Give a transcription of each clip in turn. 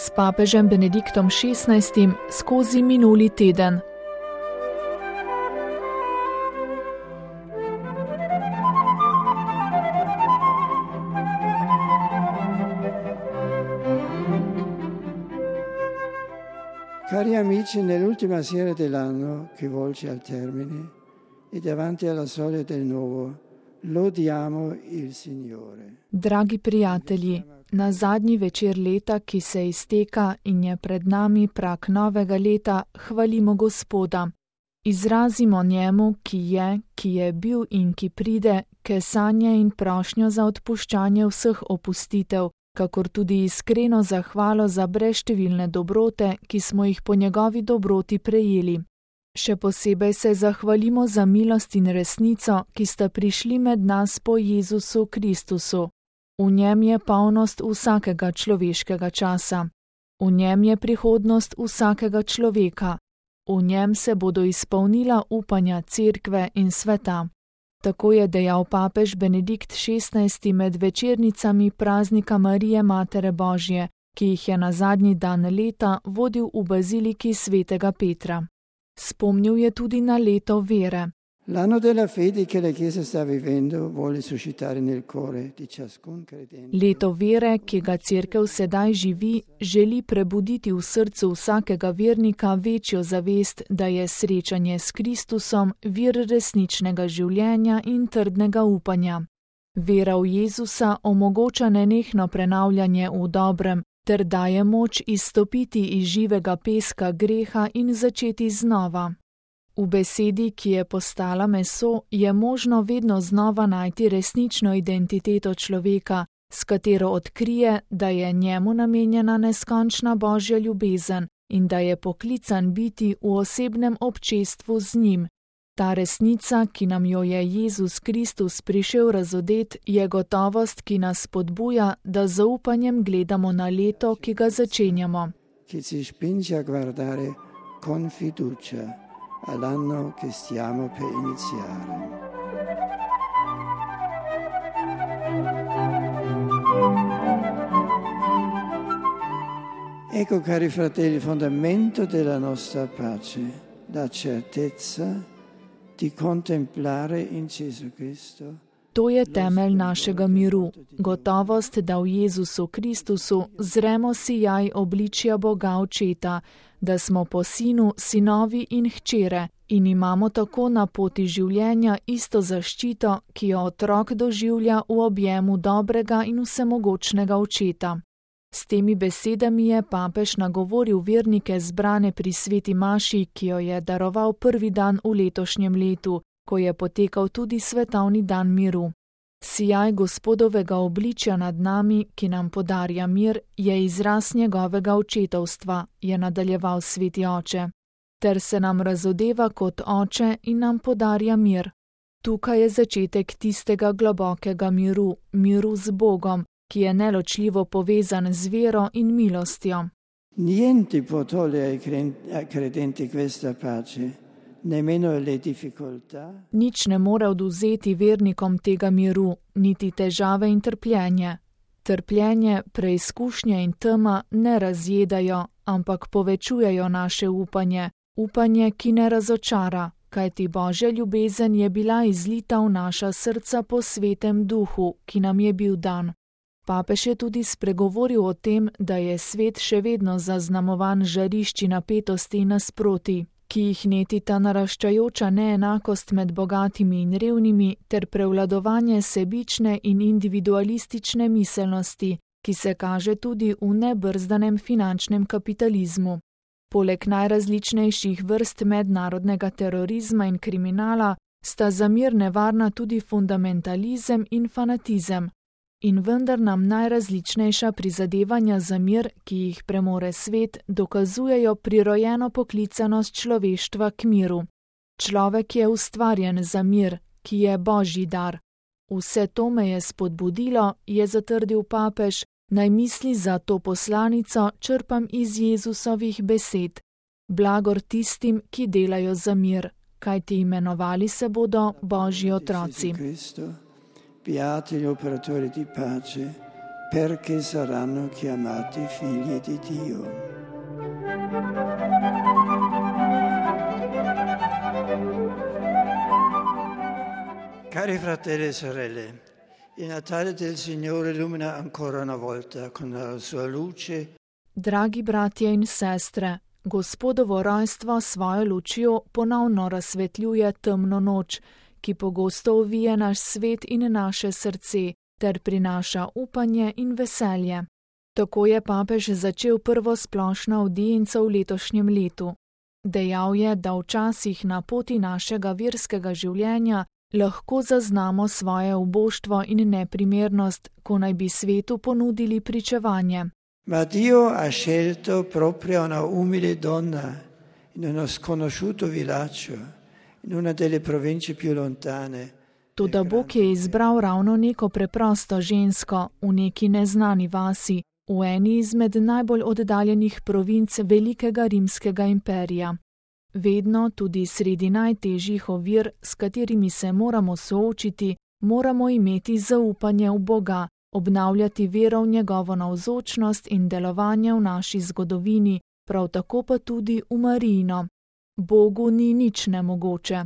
s papežem Benediktom XVI skozi minuli teden. Cari amici, nell'ultima sera dell'anno che volge al termine e davanti alla soglia del nuovo, lodiamo il Signore. Dragi prijatelji, na zadnji večer leta, ki se izteka in je pred nami prag novega leta, hvalimo Gospoda. Izrazimo njemu, ki je bil in ki pride, kesanje in prošnjo za odpuščanje vseh opustitev, kakor tudi iskreno zahvalo za brezštevilne dobrote, ki smo jih po njegovi dobroti prejeli. Še posebej se zahvalimo za milost in resnico, ki sta prišli med nas po Jezusu Kristusu. V njem je polnost vsakega človeškega časa. V njem je prihodnost vsakega človeka. V njem se bodo izpolnila upanja cerkve in sveta. Tako je dejal papež Benedikt XVI med večernicami praznika Marije Matere Božje, ki jih je na zadnji dan leta vodil v baziliki svetega Petra. Spomnil je tudi na leto vere. L'anno della fede che la Chiesa sta vivendo vuole suscitare nel cuore di ciascun credente. Leto vere, ki ga cerkev sedaj živi, želi prebuditi v srcu vsakega vernika večjo zavest, da je srečanje s Kristusom vir resničnega življenja in trdnega upanja. Vera v Jezusa omogoča nenehno prenavljanje v dobrem, ter daje moč izstopiti iz živega peska greha in začeti znova. V besedi, ki je postala meso, je možno vedno znova najti resnično identiteto človeka, s katero odkrije, da je njemu namenjena neskončna Božja ljubezen in da je poklican biti v osebnem občestvu z njim. Ta resnica, ki nam jo je Jezus Kristus prišel razodet, je gotovost, ki nas spodbuja, da z zaupanjem gledamo na leto, ki ga začenjamo. Che ci spinge a guardare con fiducia all'anno che stiamo per iniziare. Ecco, cari fratelli, il fondamento della nostra pace, la certezza di contemplare in Gesù Cristo. To je temelj našega miru, gotovost, da v Jezusu Kristusu zremo sijaj obličja Boga Očeta, da smo po Sinu sinovi in hčere in imamo tako na poti življenja isto zaščito, ki jo otrok doživlja v objemu dobrega in vsemogočnega Očeta. S temi besedami je papež nagovoril vernike zbrane pri sveti maši, ki jo je daroval prvi dan v letošnjem letu, ko je potekal tudi svetovni dan miru. Sijaj Gospodovega obličja nad nami, ki nam podarja mir, je izraz njegovega očetovstva, je nadaljeval sveti oče, ter se nam razodeva kot oče in nam podarja mir. Tukaj je začetek tistega globokega miru, miru z Bogom, ki je neločljivo povezan z vero in milostjo. Niente può togliere ai credenti questa pace. Nič ne more odvzeti vernikom tega miru, niti težave in trpljenje. Trpljenje, preizkušnje in tema ne razjedajo, ampak povečujejo naše upanje, upanje, ki ne razočara, kajti Božja ljubezen je bila izlita v naša srca po svetem duhu, ki nam je bil dan. Papež je tudi spregovoril o tem, da je svet še vedno zaznamovan žarišči napetosti in nasproti, ki jih netita naraščajoča neenakost med bogatimi in revnimi ter prevladovanje sebične in individualistične miselnosti, ki se kaže tudi v nebrzdanem finančnem kapitalizmu. Poleg najrazličnejših vrst mednarodnega terorizma in kriminala sta za mir nevarna tudi fundamentalizem in fanatizem. In vendar nam najrazličnejša prizadevanja za mir, ki jih premore svet, dokazujejo prirojeno poklicanost človeštva k miru. Človek je ustvarjen za mir, ki je Božji dar. Vse to me je spodbudilo, je zatrdil papež, naj misli za to poslanico črpam iz Jezusovih besed. Blagor tistim, ki delajo za mir, kajti imenovali se bodo Božji otroci. Beati gli operatori di pace, perché saranno chiamati figli di Dio. Cari fratelli e sorelle, il Natale del Signore illumina ancora una volta con la sua luce. Dragi bratje in sestre, Gospodovo rojstvo svojo lučjo ponovno razsvetljuje temno noč, ki pogosto ovije naš svet in naše srce, ter prinaša upanje in veselje. Tako je papež začel prvo splošno avdienco v letošnjem letu. Dejal je, da včasih na poti našega verskega življenja lahko zaznamo svoje uboštvo in neprimernost, ko naj bi svetu ponudili pričevanje. Ma Dio ha scelto proprio una umile donna in uno sconosciuto villaggio, in una delle province più lontane. Toda Bog je izbral ravno neko preprosto žensko v neki neznani vasi, v eni izmed najbolj oddaljenih provinc velikega rimskega imperija. Vedno, tudi sredi najtežjih ovir, s katerimi se moramo soočiti, moramo imeti zaupanje v Boga, obnavljati vero v njegovo navzočnost in delovanje v naši zgodovini, prav tako pa tudi v Marijino. Bogu ni nič nemogoče.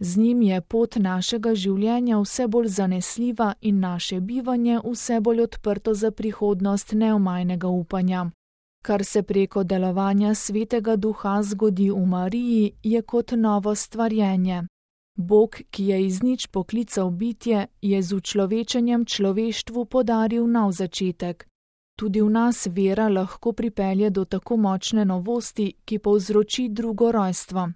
Z njim je pot našega življenja vse bolj zanesljiva in naše bivanje vse bolj odprto za prihodnost neomajnega upanja. Kar se preko delovanja Svetega Duha zgodi v Mariji, je kot novo stvarjenje. Bog, ki je iz nič poklical bitje, je z učlovečenjem človeštvu podaril nov začetek. Tudi v nas vera lahko pripelje do tako močne novosti, ki povzroči drugo rojstvo.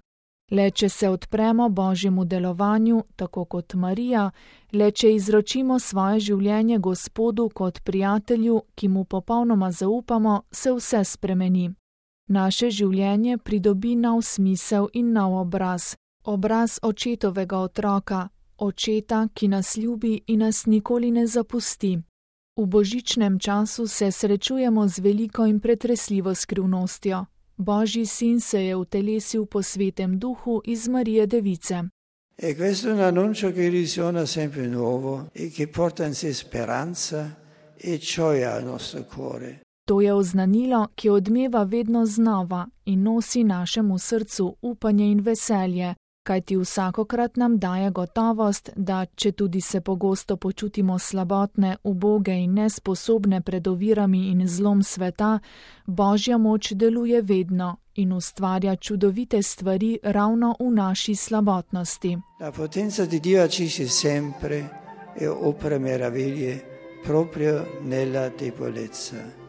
Le če se odpremo Božjemu delovanju, tako kot Marija, le če izročimo svoje življenje Gospodu kot prijatelju, ki mu popolnoma zaupamo, se vse spremeni. Naše življenje pridobi nov smisel in nov obraz. Obraz očetovega otroka, očeta, ki nas ljubi in nas nikoli ne zapusti. V božičnem času se srečujemo z veliko in pretresljivo skrivnostjo. Božji sin se je utelesil po Svetem Duhu iz Marije Device. E questo è un annuncio che risuona sempre nuovo e che porta in sé speranza e gioia al nostro cuore. To je oznanilo, ki odmeva vedno znova in nosi našemu srcu upanje in veselje, kajti vsakokrat nam daje gotovost, da če tudi se pogosto počutimo slabotne, uboge in nesposobne pred ovirami in zlom sveta, Božja moč deluje vedno in ustvarja čudovite stvari ravno v naši slabotnosti. La potenza di Dio agisce sempre e opera meraviglie proprio nella debolezza.